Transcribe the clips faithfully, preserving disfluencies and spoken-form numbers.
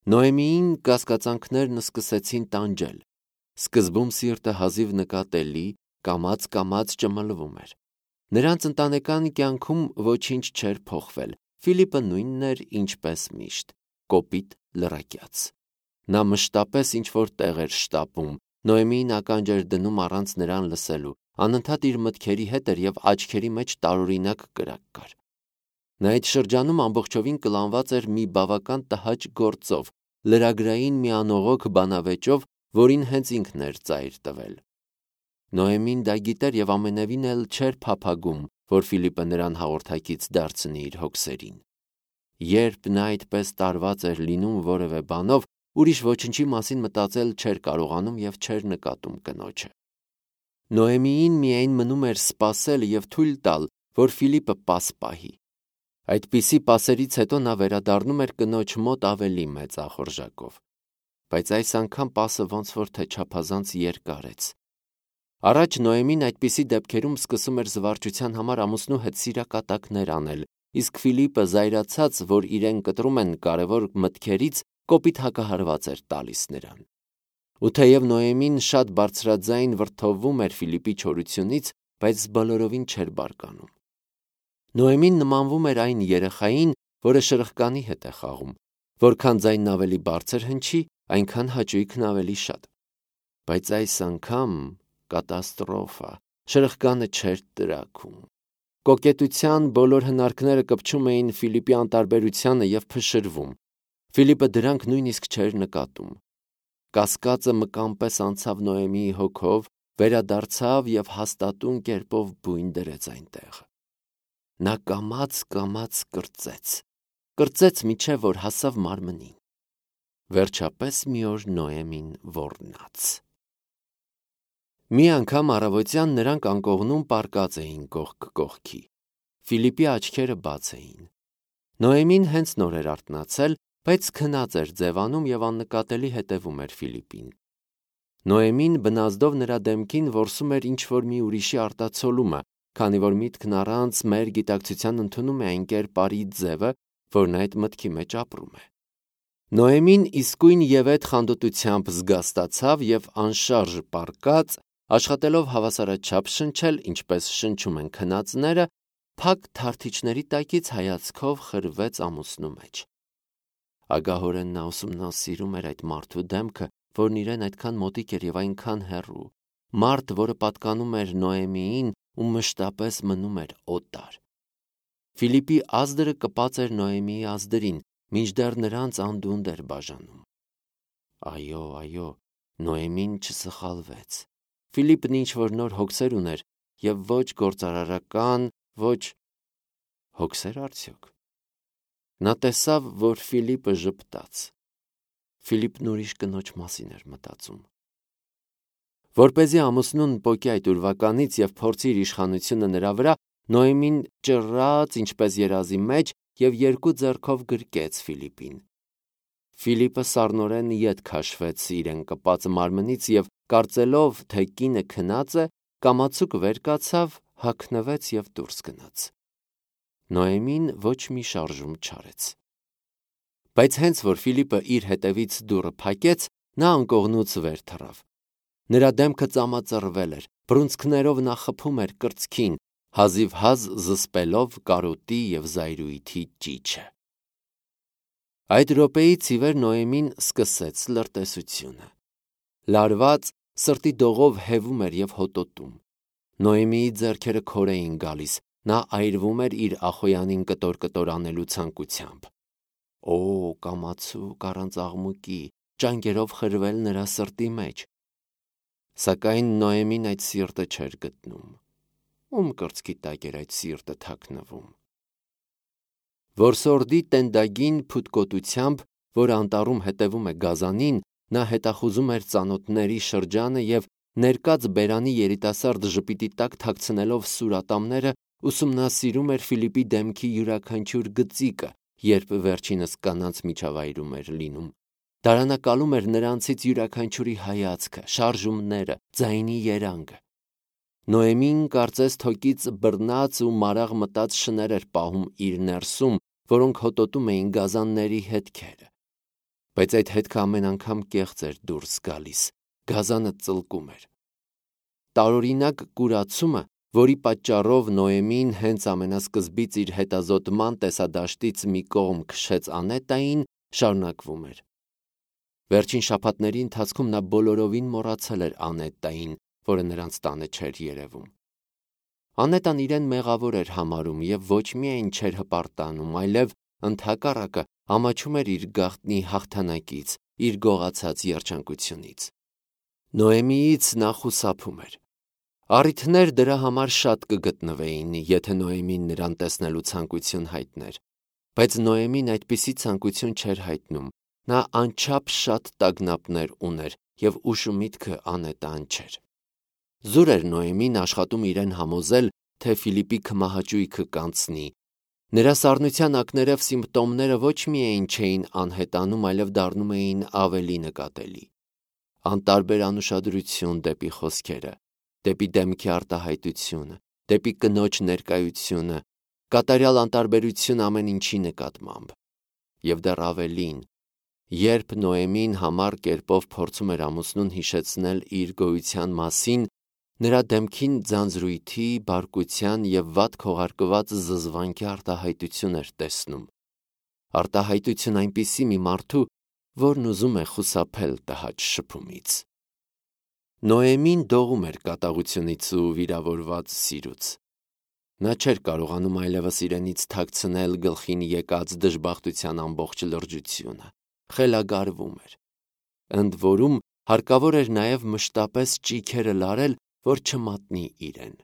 Նոեմիին կասկածանքներն սկսեցին տանջել։ Սկզբում սիրտը հազիվ նկատելի, կամաց-կամաց ճմլվում էր։ Նրանց ընտանեկան կյանքում ոչինչ չէր փոխվել։ Ֆիլիպը նույնն էր, ինչպես միշտ, կոպիտ, լրակյաց։ Նա մշտապես ինչ-որ տեղ էր շտապում, Նոեմիին ականջ էր դնում առանց նրան լսելու, անընդհատ իր մտքերի հետ էր և աչքերի մեջ տարօրինակ կրակ կար։ Նա այդ շրջանում ամբողջովին կլանված էր մի բավական տհաճ գործով, լրագրային մի անողոք բանավեճով, որին հենց ինքն էր ծայր տվել։ Նոեմին դա գիտեր և ամենևին էլ չէր փափագում, որ Ֆիլիպը նրան հաղորդակից դարձնի իր հոգսերին։ Երբ նա այդպես տարված էր լինում որևէ բանով, ուրիշ ոչնչի մասին մտածել չէր կարողանում և չէր նկատում կնոջը։ Նոեմիին միայն մնում էր սպասել և թույլ տալ, որ Ֆիլիպը պաս պահի։ Այդպիսի պասերից հետո նա վերադառնում էր կնոջ մոտ ավելի մեծ ախորժակով։ Բայց այս անգամ պասը ոնց որ թե չափազանց երկար էր։ Առաջ Նոեմին այդպիսի դեպքերում սկսում էր զվարճության համար ամուսնու հետ սիրակատակներ անել, իսկ Ֆիլիպը զայրացած, որ իրեն կտրում են կարևոր մտքերից, կոպիտ հակահարված էր տալիս նրան։ Ու թեև Նոեմին շատ բարձրաձայն վրդովվում էր Ֆիլիպի չորությունից, բայց բոլորովին չէր բարկանում։ Նոեմին նմանվում էր այն երեխային, որը շրխկանի հետ է խաղում, որքան ձայնն ավելի բարձր հնչի, այնքան հաճույքն ավելի շատ։ Բայց այս անգամ կատաստրոֆա, շրխկանը չէր տրաքում։ Կոկետության բոլոր հնարքները կպչում էին Ֆիլիպի անտարբերությանը և փշրվում։ Ֆիլիպը դրանք նույնիսկ չէր նկատում։ Կասկածը մկան պես անցավ Նոեմիի հոգով, վերադարձավ և հաստատուն կերպով բույն դրեց այնտեղ։ Նա կամաց-կամաց կրծեց, կրծեց մինչև որ հասավ մարմնին։ Վերջապես մի օր Նոեմին ոռնաց։ Մի անգամ առավոտյան նրանք անկողնում պառկած էին կողք կողքի։ Ֆիլիպի աչքերը բաց էին։ Նոեմին հենց նոր էր արթնացել, բայց քնած էր ձևանում և աննկատելի հետևում էր Ֆիլիպին։ Նոեմին բնազդով նրա դեմքին որսում էր ինչ-որ մի ուրիշի արտացոլումը, քանի որ միտքն առանց մեր գիտակցության ընդունում է այն կերպարի ձևը, որն այդ մտքի մեջ ապրում է։ Նոեմին իսկույն և այդ խանդոտությամբ զգաստացավ և անշարժ պառկած, աշխատելով հավասարաչափ շնչել, ինչպես շնչում են քնածները, փակ թարթիչների տակից հայացքով խրվեց ամուսնու մեջ։ Ագահորեն նա ուսումնասիրում էր այդ մարդու դեմքը, որն իրեն այդքան մոտիկ էր և այնքան հեռու, մարդ, որը պատկանում էր Նոեմիին ու մշտապես մնում էր օտար։ Ֆիլիպի ազդրը կպած էր Նոեմիի ազդրին, մինչդեռ նրանց անդունդը էր բաժանում։ Այո, այո, Նոեմին չսխալվեց։ Ֆիլիպն ինչ-որ նոր հոգսեր ուներ և ոչ գործարարական, ոչ… Հոգսե՞ր արդյոք։ Նա տեսավ, որ Ֆիլիպը ժպտաց։ Ֆիլիպն ուրիշ կնոջ մասին էր մտածում։ Որպեսզի ամուսնուն պոկի այդ ուրվականից և փորձի իր իշխանությունը նրա վրա, Նոեմին ճռռաց ինչպես երազի մեջ և երկու ձեռքով գրկեց Ֆիլիպին։ Ֆիլիպը սառնորեն ետ քաշվեց իրեն կպած մարմնից և, կարծելով, թե կինը քնած է, կամացուկ վեր կացավ, հագնվեց և դուրս գնաց։ Նոեմին ոչ մի շարժում չարեց։ Բայց հենց որ Ֆիլիպը իր հետևից դուռը փակեց, նա անկողնուց վեր թռավ։ Նրա դեմքը ծամածռվել էր, բռունցքներով նա խփում էր կրծքին, հազիվհազ զսպելով կարոտի և զայրույթի ճիչը։ Այդ րոպեից ի վեր Նոեմին սկսեց լրտեսությունը։ Լարված, սրտի դողով հևում էր և հոտոտում։ Նոեմիի ձեռքերը քոր էին գալիս, նա այրվում էր իր ախոյանին կտոր-կտոր անելու ցանկությամբ։ Օ, կամացուկ առանց աղմուկի, ճանկերով խրվել նրա սրտի մեջ։ Սակայն Նոեմին այդ սիրտը չէր գտնում։ Ում կրծքի տակ էր այդ սիրտը թաքնվում։ Որսորդի տենդագին փութկոտությամբ, որ անտառում հետևում է գազանին, նա հետախուզում էր ծանոթների շրջանը և ներկած բերանի երիտասարդ ժպիտի տակ թաքցնելով սուր ատամները, ուսումնասիրում էր Ֆիլիպի դեմքի յուրաքանչյուր գծիկը, երբ վերջինս կանանց միջավայրում էր լինում։ Դարանակալում էր նրանցից յուրաքանչյուրի հայացքը, շարժումները, ձայնի երանգը։ Նոեմին կարծես թոկից բռնած ու մարաղ մտած շներ էր պահում իր ներսում, որոնք հոտոտում էին գազանների հետքերը։ բայց այդ հետքը ամեն անգամ կեղծ էր դուրս գալիս, գազանը ծլկում էր։ Տարօրինակ կուրացումը, որի պատճառով Նոեմին հենց ամենասկզբից իր հետազոտման տեսադաշտից մի կողմ քշեց Անետային, շարունակվում էր։ Վերջին շաբաթների ընթացքում նա բոլորովին մոռացել էր Անետային, որը նրանց տանը չէր երևում։ Անետան իրեն մեղավոր էր համարում և ոչ միայն չէր հպարտանում, այլև ընդհակառակը ամաչում էր իր գաղտնի հաղթանակից, իր գողացած երջանկությունից։ Նոեմիից նա խուսափում էր։ Առիթներ դրա համար շատ կգտնվեին, եթե Նոեմին նրան տեսնելու ցանկություն հայտներ, բայց Նոեմին այդպիսի ցանկություն չէր հայտնում, նա անչափ շատ տագնապներ ուներ և ուշ ու միտքը Անետան չէր։ Զուր էր Նոեմին աշխատում իրեն համոզել, թե Ֆիլիպի քմահաճույքը կանցնի։ Նրա սառնության ակներև սիմպտոմները ոչ միայն չէին անհետանում, այլև դառնում էին ավելի նկատելի։ Անտարբեր անուշադրություն դեպի խոսքերը, դեպի դեմքի արտահայտությունը, դեպի կնոջ ներկայությունը, կատարյալ անտարբերություն ամեն ինչի նկատմամբ։ Եվ դեռ ավելին, երբ Նոեմին համառ կերպով փորձում էր ամուսնուն հիշեցնել իր գոյության մասին, նրա դեմքին ձանձրույթի, բարկության և վատ քողարկված զզվանքի արտահայտություն էր տեսնում։ Արտահայտություն այնպիսի մի մարդու, որն ուզում է խուսափել տհաճ շփումից։ Նոեմին դողում էր կատաղությունից ու վիրավորված սիրուց։ Նա չէր կարողանում այլևս իրենից թաքցնել գլխին եկած դժբախտության ամբողջ լրջությունը, խելագարվում էր։ Ընդ որում հարկավոր էր նաև մշտապես ճիգերը լարել, որ չմատնի իրեն։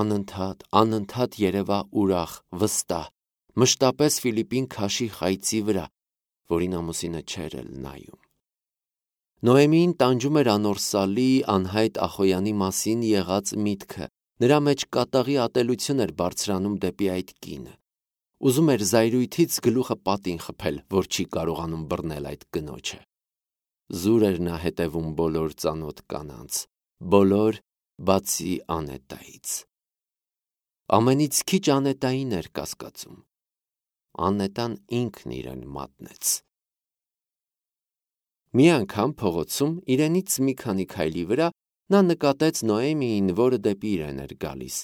Անընդհատ, անընդհատ երևա ուրախ, վստահ, մշտապես Ֆիլիպին քաշի խայծի վրա, որին ամուսինը չէր էլ նայում։ Նոեմին տանջում էր անորսալի, անհայտ Ախոյանի մասին եղած միտքը, նրա մեջ կատաղի ատելություն էր բարձրանում դեպի այդ կինը։ Ուզում էր զայրույթից գլուխը պատին խփել, որ չի կարողանում բռնել այդ կնոջը։ Զուր էր նա հետևում բոլոր ծանոթ կանանց, բոլոր, բացի Անետայից։ Ամենից քիչ Անետային էր կասկածում։ Անետան ինքն իրեն մատնեց։ Մի անգամ փողոցում իրենից մի քանի քայլի վրա նա նկատեց Նոեմիին, որը դեպի իրեն էր գալիս։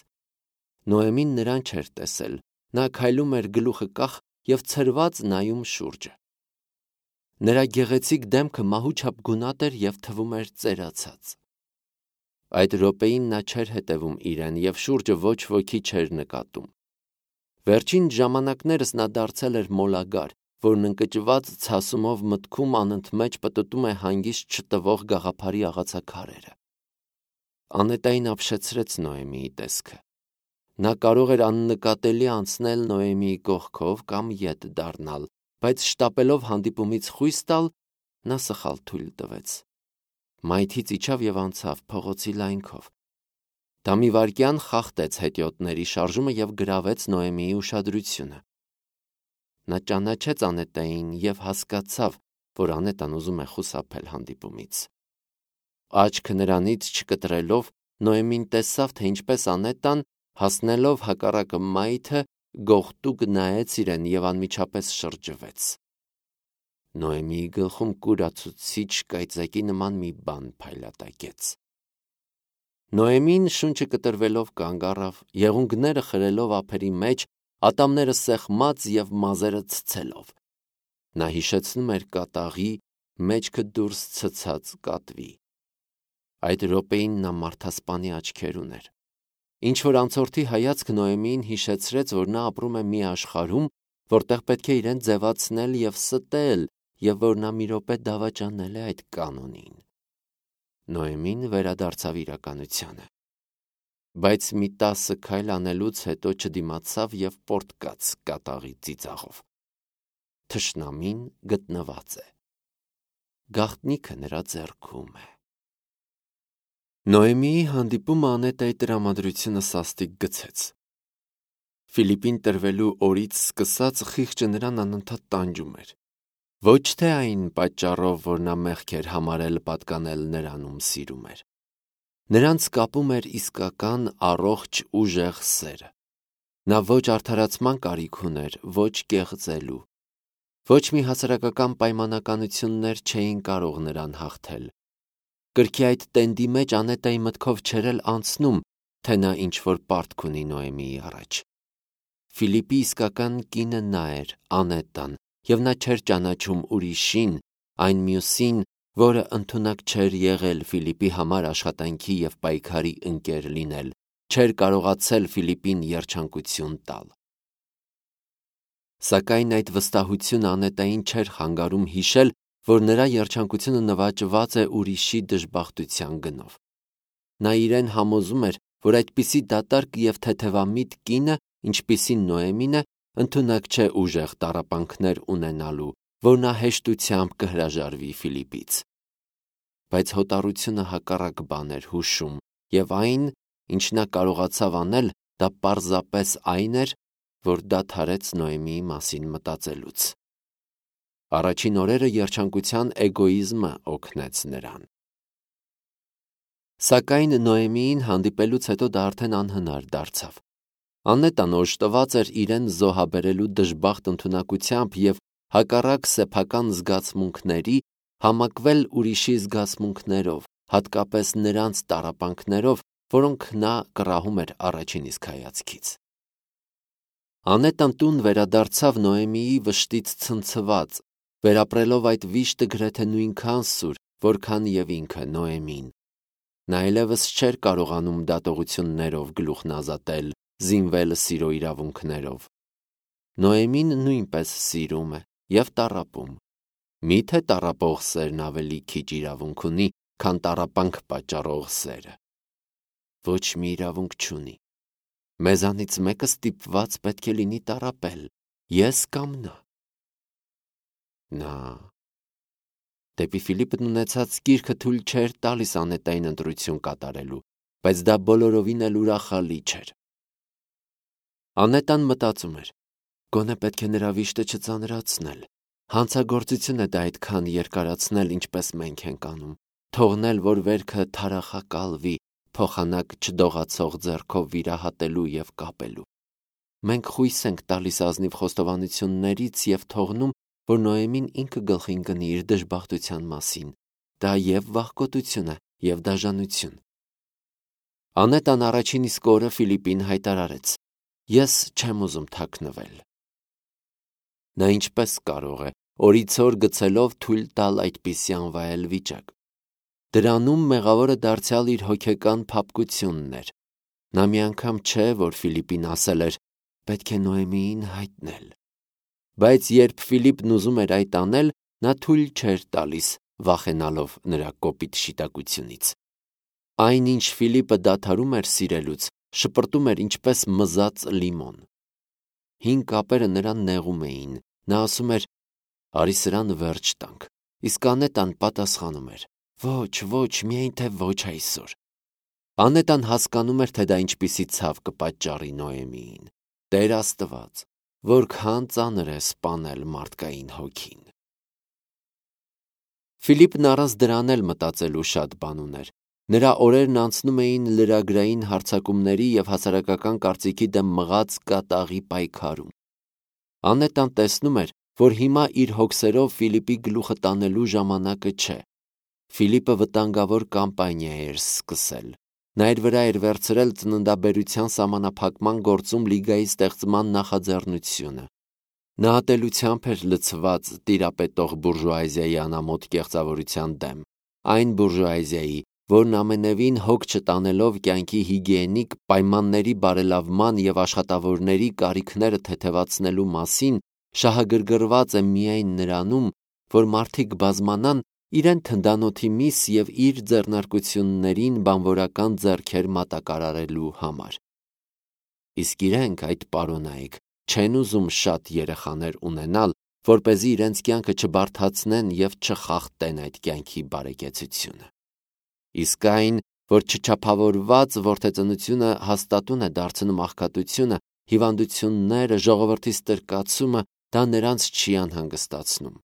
Նոեմին նրան չէր տեսել, նա քայլում էր գլուխը կախ և ցրված նայում շուրջը։ Նրա գեղեցիկ դեմքը մահուչափ գունատ էր և թվում էր ծերացած։ Այդ րոպեին նա չէր հետևում իրեն և շուրջը ոչ ոքի չէր նկատում։ Վերջին ժամանակներս նա դարձել էր մոլագար, որն ընկճված ցասումով մտքում անընդմեջ պտտում է հանգիստ չտվող գաղափարի աղացաքարերը։ Անետային ապշեցրեց Նոեմիի տեսքը։ Նա կարող էր աննկատելի անցնել Նոեմիի կողքով կամ ետ դառնալ, բայց շտապելով հանդիպումից խույս տալ, նա սխալ թույլ տվեց։ Մայթից իջավ և անցավ փողոցի լայնքով։ Դա մի վայրկյան խախտեց հետիոտների շարժումը և գրավեց Նոեմիի ուշադրությունը։ Նա ճանաչեց Անետային և հասկացավ, որ Անետան ուզում է խուսափել հանդիպումից։ Աչքը նրանից չկտրելով, Նոեմին տեսավ, թե ինչպես Անետան, հասնելով հակառակը մայթը, գողտուկ նայեց իրեն և անմիջապես շրջվեց։ Նոեմիի գլխում կուրացուցիչ կայծակի նման մի բան փայլատակեց։ Նոեմին շունչը կտրվելով կանգ առավ, եղունգները խրելով ափերի մեջ, ատամները սեղմած և մազերը ցցելով։ Նա հիշեցնում էր կատաղի, մեջքը դուրս ցցած կատվի։ Այդ րոպեին նա մարդասպանի աչքեր ուներ։ Ինչ-որ անցորդի հայացք Նոեմիին հիշեցրեց, որ նա ապրում է մի աշխարհում, որտեղ պետք է իրեն ձևացնել և ստել, և որ նա մի րոպե դավաճանել է այդ կանոնին։ Նոեմին վերադարձավ իրականությանը։ Բայց մի տասը քայլ անելուց հետո չդիմացավ և պոռթկաց կատաղի ծիծաղով։ Թշնամին գտնված է։ Գաղտնիքը նրա ձեռքում է։ Նոեմիի հանդիպումը Անետայի տրամադրությունը սաստիկ գցեց։ Ֆիլիպին տրվելու օրից սկսած խիղճը նրան անընդհատ տանջում էր։ Ոչ թե այն պատճառով, որ նա մեղք էր համարել պատկանել նրան, ում սիրում էր։ Նրանց կապում էր իսկական առողջ ուժեղ սերը։ Նա ոչ արդարացման կարիք ուներ, ոչ կեղծելու։ Ոչ մի հասարակական պայմանականություններ չէին կարող նրան հաղթել։ Կրկի այդ տենդի մեջ Անետայի մտքով չէր էլ անցնում, թե նա ինչ-որ պարտք ունի Նոեմիի առաջ։ Ֆիլիպի իսկական կինը նա էր, Անետան, և նա չէր ճանաչում ուրիշին, այն մյուսին, որը ընդունակ չէր եղել Ֆիլիպի համար աշխատանքի և պայքարի ընկեր լինել, չէր կարողացել Ֆիլիպին երջանկություն տալ։ Սակայն այդ վստահությունը Անետային չէր խանգարում հիշել, որ նրա երջանկությունը նվաճված է ուրիշի դժբախտության գնով։ Նա իրեն համոզում էր, որ այդպիսի դատարկ և թեթևամիտ կինը, ինչպիսին Նոեմին է, ընդունակ չէ ուժեղ տառապանքներ ունենալու, որ նա հեշտությամբ կհրաժարվի Ֆիլիպից։ Բայց հոտառությունը հակառակ բան էր հուշում, և այն, ինչ նա կարողացավ անել, դա պարզապես այն էր, որ դադարեց Նոեմիի մասին մտածելուց։ Առաջին օրերը երջանկության էգոիզմը օգնեց նրան։ Սակայն Նոեմիին հանդիպելուց հետո դա արդեն անհնար դարձավ։ Անետան օժտված էր իրեն զոհաբերելու դժբախտ ընդունակությամբ և հակառակ սեփական զգացմունքների համակվել ուրիշի զգացմունքներով, հատկապես նրանց տառապանքներով, որոնք նա կռահում էր առաջին իսկ հայացքից։ Անետան տուն վերադարձավ Նոեմիի վշտից ցնցված, վերապրելով այդ վիշտը գրեթե նույնքան սուր, որքան և ինքը Նոեմին։ Նա այլևս չէր կարողանում դատողություններով գլուխն ազատել, զինվել սիրո իրավունքներով։ Նոեմին նույնպես սիրում է և տառապում։ Մի՞թե տառապող սերն ավելի քիչ իրավունք ունի, քան տառապանք պատճառող սերը։ Ոչ մի իրավունք չունի։ Մեզանից մեկը ստիպված պետք է լինի տառապել, ես կամ նա։ Նա դեպի Ֆիլիպն ունեցած կիրքը թույլ չէր տալիս Անետային ընտրություն կատարելու, բայց դա բոլորովին էլ ուրախալի չէր։ Անետան մտածում էր. գոնե պետք է նրա վիշտը չծանրացնել։ Հանցագործություն է դա այդքան երկարացնել, ինչպես մենք ենք անում, թողնել, որ վերքը թարախակալվի, փոխանակ չդողացող ձեռքով վիրահատելու և կապելու։ Մենք խույս ենք տալիս ազնիվ խոստովանություններից և թողնում, որ Նոեմին ինքը գլխի ընկնի իր դժբախտության մասին։ Դա և վախկոտություն է, և դաժանություն։ Անետան առաջին իսկ օրը Ֆիլիպին հայտարարեց. ես չեմ ուզում թաքնվել։ Նա ինչպես կարող է, օրիցօր գցելով թույլ տալ այդպիսի անվայել վիճակ։ Դրանում մեղավորը դարձյալ իր հոգեկան փափկությունն էր։ Նա մի անգամ չէ, որ Ֆիլիպին ասել էր. պետք է Նոեմիին հայտնել։ Բայց երբ Ֆիլիպն ուզում էր այդ անել, նա թույլ չէր տալիս, վախենալով նրա կոպիտ շիտակությունից։ Այն, ինչ Ֆիլիպը դադարում էր սիրելուց, շպրտում էր ինչպես մզած լիմոն։ Հին կապերը նրան նեղում էին։ Նա ասում էր. արի սրան վերջ տանք, իսկ Անետան պատասխանում էր. ոչ, ոչ, միայն թե ոչ այսօր։ Անետան հասկանում էր, թե դա ինչպիսի ցավ կպատճառի Նոեմիին։ Տեր Աստված, որքան ծանր է սպանել մարդկային հոգին։ Ֆիլիպն առանց դրան էլ մտածելու շատ բան ուներ։ Նրա օրերն անցնում էին լրագրային հարձակումների և հասարակական կարծիքի դեմ մղած կատաղի պայքարում։ Անետան տեսնում էր, որ հիմա իր հոգսերով Ֆիլիպի գլուխը տանելու ժամանակը չէ։ Ֆիլիպը վտանգավոր կամպանիա էր սկսել։ Նա իր վրա էր վերցրել ծննդաբերության սահմանափակման գործում լիգայի ստեղծման նախաձեռնությունը։ Նա ատելությամբ էր լցված տիրապետող բուրժուազիայի անամոթ կեղծավորության դեմ, այն բուրժուազիայի, որն ամենևին հոգ չտանելով կյանքի հիգիենիկ պայմանների բարելավման և աշխատավորների կարիքները թեթևացնելու մասին, շահագրգռված է միայն նրանում, որ մարդիկ բազմանան իրեն թնդանոթի միս և իր ձեռնարկություններին բանվորական ձեռքեր մատակարարելու համար։ Իսկ իրենք, այդ պարոնայք, չեն ուզում շատ երեխաներ ունենալ, որպեսզի իրենց կյանքը չբարդացնեն և չխախտեն այդ կյանքի բարեկեցությունը։ Իսկ այն, որ չչափավորված որդեծնությունը հաստատուն է դարձնում աղքատությունը, հիվանդությունները, ժողովրդի ստրկացումը, դա նրանց չի անհանգստացնում։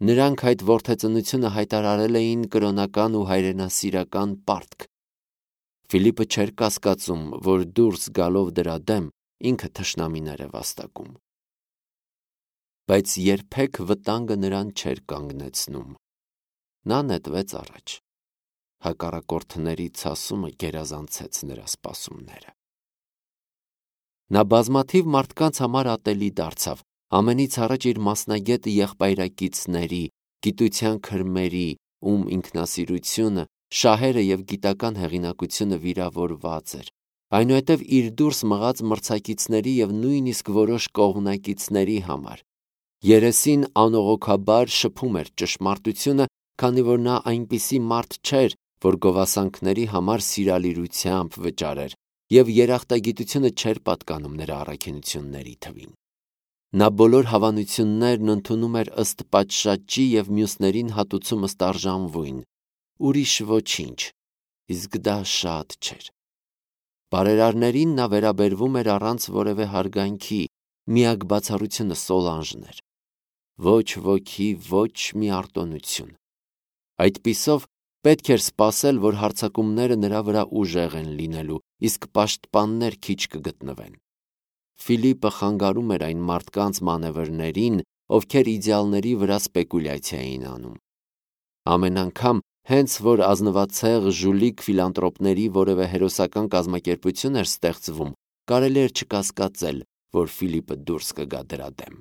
Նրանք այդ որդեծնությունը հայտարարել էին կրոնական ու հայրենասիրական պարտք։ Ֆիլիպը չէր կասկածում, որ դուրս գալով դրա դեմ, ինքը թշնամիներ է վաստակում։ բայց երբեք վտանգը նրան չէր կանգնեցնում։ Նա նետվեց առաջ։ Հակառակորդների ցասումը գերազանցեց նրա սպասումները։ Նա բազմաթիվ մարդկանց համար ատելի դարձավ, ամենից առաջ իր մասնագետ եղբայրակիցների, գիտության քրմերի, ում ինքնասիրությունը, շահերը և գիտական հեղինակությունը վիրավորված էր, այնուհետև իր դուրս մղած մրցակիցների և նույնիսկ որոշ կողմնակիցների համար։ Երեսին անողոքաբար շփում էր ճշմարտությունը, քանի որ նա այնպիսի մարդ չէր, որ գովասանքների համար սիրալիրությամբ վճարեր, և երախտագիտությունը չէր պատկանում նրա առաքինությունների թվին։ Նա բոլոր հավանություններն ընդունում էր ըստ պատշաճի և մյուսներին հատուցում ըստ արժանվույն, ուրիշ ոչինչ, իսկ դա շատ չէր։ Բարերարներին նա վերաբերվում էր առանց որևէ հարգանքի, միակ բացառությունը Սոլանժն էր։ Ոչ ոգի, ոչ մի արտոնություն։ Այդպիսով պետք էր սպասել, որ հարձակումները նրա վրա ուժեղ են լինելու, իսկ պաշտպաններ քիչ կգտնվեն։ Ֆիլիպը խանգարում էր այն մարդկանց մանևրներին, ովքեր իդեալների վրա սպեկուլյացիա էին անում։ Ամեն անգամ, հենց որ ազնվացեղ ժուլիկ ֆիլանտրոպների որևէ հերոսական կազմակերպություն էր ստեղծվում, կարելի էր չկասկածել, որ Ֆիլիպը դուրս կգա դրա դեմ։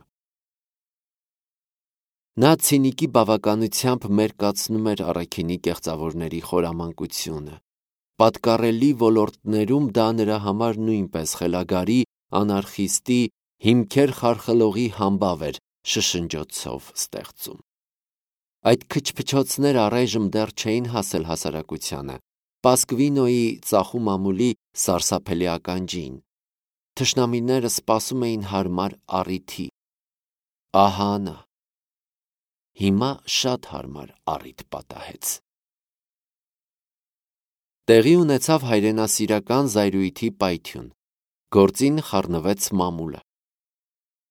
Նա ցինիկի բավականությամբ մերկացնում էր առաքինի կեղծավորների խորամանկությունը։ Պատկառելի ոլորտներում դա նրա համար նույնպես խելագարի, անարխիստի, հիմքեր խարխլողի համբավ էր շշնջոցով ստեղծում։ Այդ քչփչոցները առայժմ դեռ չէին հասել հասարակությանը, Պասկվինոյի ծախու մամուլի սարսափելի ականջին։ Թշնամիները սպասում էին հարմար առիթի։ Ահա նա։ Հիմա շատ հարմար առիթ պատահեց։ Տեղի ունեցավ հայրենասիրական զայրույթի պայթյուն։ Գործին խառնվեց մամուլը։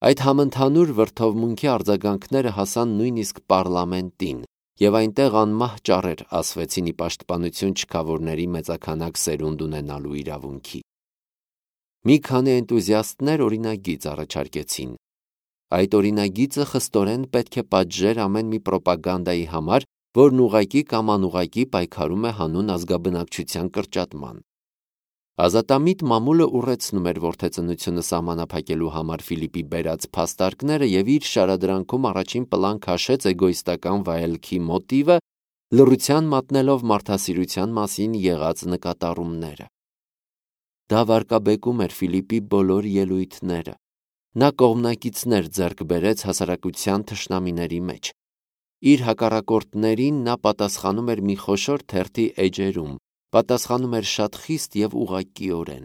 Այդ համընդհանուր վրդովմունքի արձագանքները հասան նույնիսկ պառլամենտին, և այնտեղ անմահ ճառեր ասվեցին ի պաշտպանություն չքավորների մեծաքանակ սերունդ ունենալու իրավունքի։ Մի քանի էնտուզիաստներ օրինագիծ առաջարկեցին։ Այդ օրինագիծը խստորեն պետք է պատժեր ամեն մի պրոպագանդայի համար, որն ուղղակի կամ անուղղակի պայքարում է հանուն ազգաբնակչության կրճատման։ Ազատամիտ մամուլը ուռեցնում էր որդեծնությունը սահմանափակելու համար Ֆիլիպի բերած փաստարկները և իր շարադրանքում առաջին պլան քաշեց էգոիստական վայելքի մոտիվը, լռության մատնելով մարդասիրության մասին եղած նկատառումները։ Դա վարկաբեկում էր Ֆիլիպի բոլոր ելույթները։ Նա կողմնակիցներ ձեռք բերեց հասարակության թշնամիների մեջ։ Իր հակառակորդներին նա պատասխանում էր մի խոշոր թերթի էջերում, պատասխանում էր շատ խիստ և ուղղակիորեն։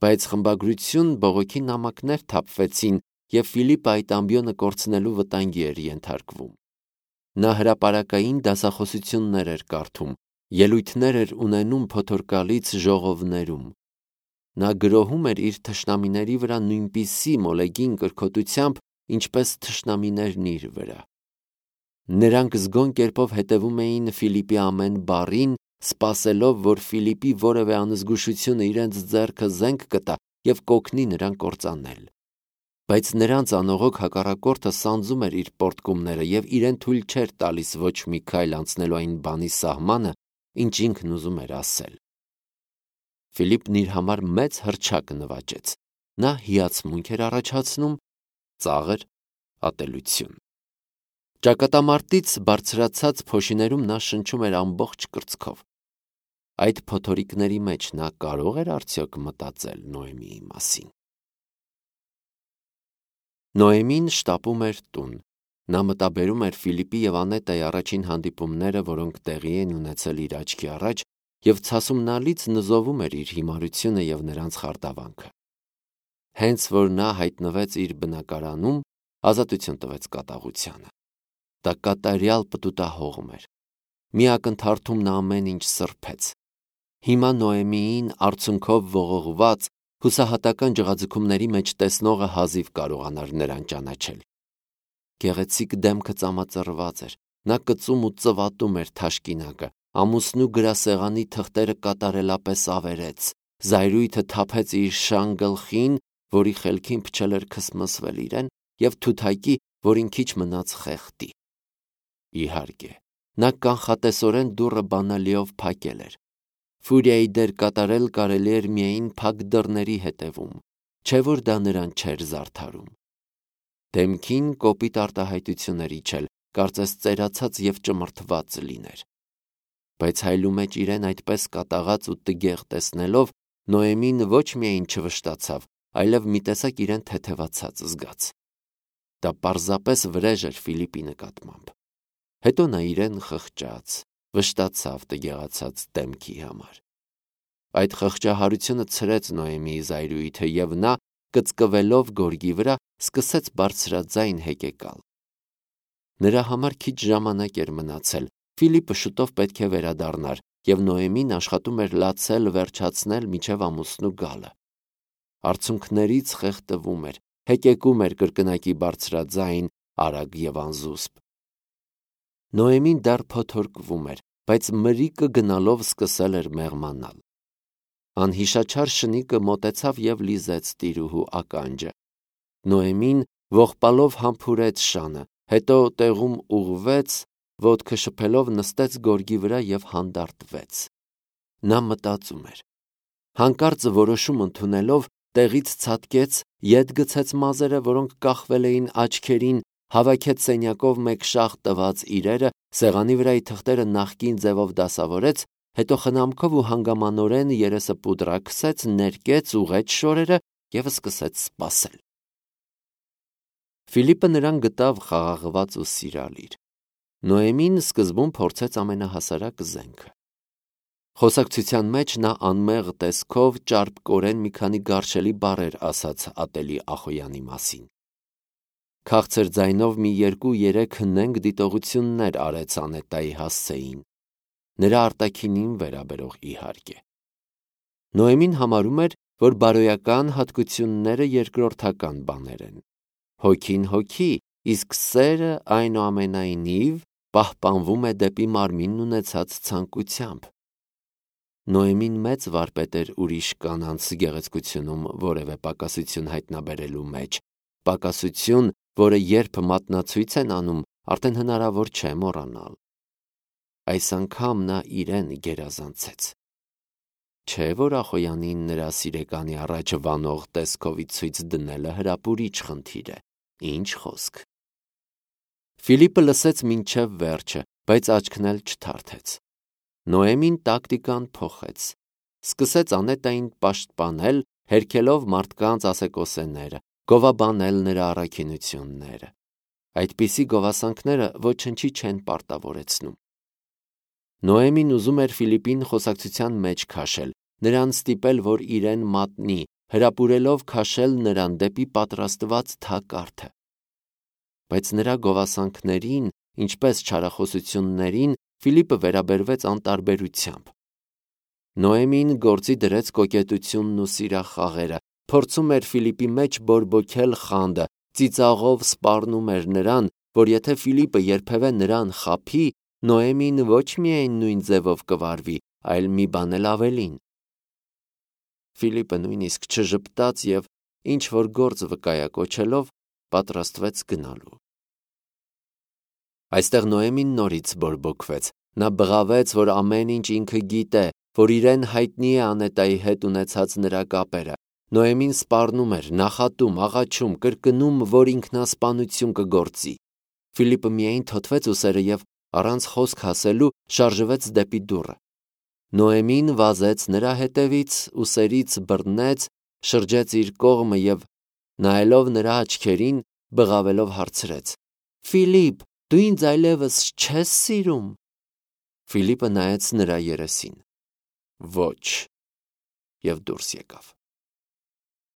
Բայց խմբագրություն բողոքի նամակներ թափվեցին, և Ֆիլիպը այդ ամբիոնը կորցնելու վտանգի էր ենթարկվում։ Նա հրապարակային դասախոսություններ էր կարդում, ելույթներ էր ունենում փոթորկալից ժողովներում։ Նա գրոհում էր իր թշնամիների վրա նույնպիսի մոլեգին կրքոտությամբ, ինչպես թշնամիներն իր վրա։ Նրանք զգոն կերպով հետևում էին Ֆիլիպի ամեն բառին, սպասելով, որ Ֆիլիպի որևէ անզգուշությունը իրենց ձեռքը զենք կտա և կօգնի նրան կործանել։ Բայց նրանց անողոք հակառակորդը սանձում էր իր պոռթկումները և իրեն թույլ չէր տալիս ոչ մի քայլ անցնելու այն բանի սահմանը, ինչ ինքն ուզում էր ասել։ Ֆիլիպն իր համար մեծ հռչակ նվաճեց։ Նա հիացմունք էր առաջացնում, ծաղր ատելություն։ Ճակատամարտից բարձրացած փոշիներում նա շնչում էր ամբողջ կրծքով։ Այդ փոթորիկների մեջ նա կարո՞ղ էր արդյոք մտածել Նոեմիի մասին։ Նոեմին շտապում էր տուն։ Նա մտաբերում էր Ֆիլիպի և Անետայի առաջին հանդիպումները, որոնք տեղի են ունեցել իր աչքի առաջ, և ցասումնալից նզովում էր իր հիմարությունը և նրանց խարդավանքը։ Հենց որ նա հայտնվեց իր բնակարանում, ազատություն տվեց կատաղությանը։ Դա կատարյալ պտուտահողմ էր։ Մի ակնթարթում նա ամեն ինչ սրբեց։ Հիմա Նոեմիին արցունքով ողողված, հուսահատական ջղաձգումների մեջ տեսնողը հազիվ կարողանար նրան ճանաչել։ Գեղեցիկ դեմքը ծամածռված էր, նա կծում ու ծվատում էր թաշկինակը, ամուսնու գրասեղանի թղթերը կատարելապես ավերեց, զայրույթը թափեց իր շան գլխին, որի խելքին փչել էր քսմսվել իրեն, և թութակի, որին քիչ մնաց խեղդի։ Իհարկե, նա կանխատեսորեն դուռը բանալիով փակել էր։ Ֆուրիայի դեր կատարել կարելի էր միայն փակ դռների հետևում, չէ որ դա նրան չէր զարդարում։ Դեմքին կոպիտ արտահայտությունների չել, կարծես ծերացած և ճմրթված լիներ։ Բայց հայլու մեջ իրեն այդպես կատաղած ու տգեղ տեսնելով, Նոեմին ոչ միայն չվշտացավ, այլև մի տեսակ իրեն թեթևացած զգաց։ Դա պարզապես վրեժ էր Ֆիլիպի նկատմամբ։ Հետո նա իրեն խղճաց, վշտացավ տգեղացած դեմքի համար։ Այդ խղճահարությունը ցրեց Նոեմիի զայրույթը, և նա, կծկվելով գորգի վրա, սկսեց բարձրաձայն հեկեկալ։ Նրա համար քիչ ժամանակ էր մնացել, Ֆիլիպը շուտով պետք է վերադառնար, և Նոեմին աշխատում էր լացել վերջացնել մինչև ամուսնու գալը։ Արցունքներից խեղդվում էր, հեկեկում էր կրկնակի բարձրաձայն, արագ և անզուսպ։ Նոեմին դեռ փոթորկվում էր, բայց մրիկը գնալով սկսել էր մեղմանալ։ Անհիշաչար շնիկը մոտեցավ և լիզեց տիրուհու ականջը։ Նոեմին ողբալով համբուրեց շանը, հետո տեղում ուղղվեց, ոտքը շփելով նստեց գորգի վրա և հանդարտվեց։ Նա մտածում էր։ Հանկարծ որոշում ընդունելով, տեղից ցատկեց, ետ գցեց մազերը, որոնք կախվել էին աչքերին, հավաքեց սենյակով մեկ շաղ տված իրերը, սեղանի վրայի թղթերը նախկին ձևով դասավորեց, հետո խնամքով ու հանգամանորեն երեսը պուդրակսեց, ներկեց, ուղղեց շորերը և սկսեց սպասել։ Ֆիլիպը նրան գտավ խաղաղված ու սիրալիր։ Նոեմին սկզբում փորձեց ամենահասարակ զենքը։ Խոսակցության մեջ նա անմեղ տեսքով ճարպկորեն մի քանի գարշելի բառեր ասաց ատելի Ախոյանի մասին։ Քաղցր ձայնով մի երկու-երեք հնենք դիտողություններ արեց Անետայի հասցեին, նրա արտաքինին վերաբերող իհարկե։ Նոեմին համարում էր, որ բարոյական հատկությունները երկրորդական բաներ են։ Հոգին հոգի, իսկ սերը այնուամենայնիվ պահպանվում է դեպի մարմինն ունեցած ցանկությամբ։ Նոեմին մեծ վարպետ էր ուրիշ կանանց գեղեցկությունում որևէ պակասություն հայտնաբերելու մեջ, պակասություն, որը երբ մատնացույց են անում, արդեն հնարավոր չէ մոռանալ։ Այս անգամ նա իրեն գերազանցեց։ Չէ որ Ախոյանին նրա սիրեկանի առաջ վանող տեսքովից ցույց դնելը հրապուրիչ խնդիր է, ինչ խոսք։ Ֆիլիպը լսեց մինչև վերջը, բայց աչքն էլ չթարթեց։ Նոեմին տակտիկան փոխեց, սկսեց Անետային պաշտպանել, հերքելով մարդկանց ասեկոսեները, գովաբանել նրա առաքինությունները։ Այդպիսի գովասանքները ոչնչի չեն պարտավորեցնում։ Նոեմին ուզում էր Ֆիլիպին խոսակցության մեջ քաշել, նրան ստիպել, որ իրեն մատնի, հրապուրելով քաշել նրան դեպի պատրաստված թակարդը։ Բայց նրա գովասանքներին, ինչպես չարախոսություններին, Ֆիլիպը վերաբերվեց անտարբերությամբ։ Նոեմին գործի դրեց կոկետությունն ու սիրախաղերը, փորձում էր Ֆիլիպի մեջ բորբոքել խանդը, ծիծաղով սպառնում էր նրան, որ եթե Ֆիլիպը երբևէ նրան խաբի, Նոեմին ոչ միայն նույն ձևով կվարվի, այլ մի բան էլ ավելին։ Ֆիլիպը նույնիսկ չժպտաց և, ինչ-որ գործ վկայակոչելով, պատրաստվեց գնալու։ Այստեղ Նոեմին նորից բորբոքվեց, նա բղավեց, որ ամեն ինչ ինքը գիտե, որ իրեն հայտնի է Անետայի հետ ունեցած նրա կապերը։ Նոեմին սպառնում էր, նախատում, աղաչում, կրկնում, որ ինքնասպանություն կգործի։ Ֆիլիպը միայն թոթվեց ուսերը և, առանց խոսք ասելու, շարժվեց դեպի դուռը։ Նոեմին վազեց նրա հետևից, ուսերից բռնեց, շրջեց իր կողմը և, նայելով նրա աչքերին, բղավելով հարցրեց. «Ֆիլիպ, դու ինձ այլևս չե՞ս սիրում»։ Ֆիլիպը նայեց նրա երեսին։ Ոչ, և դուրս եկավ։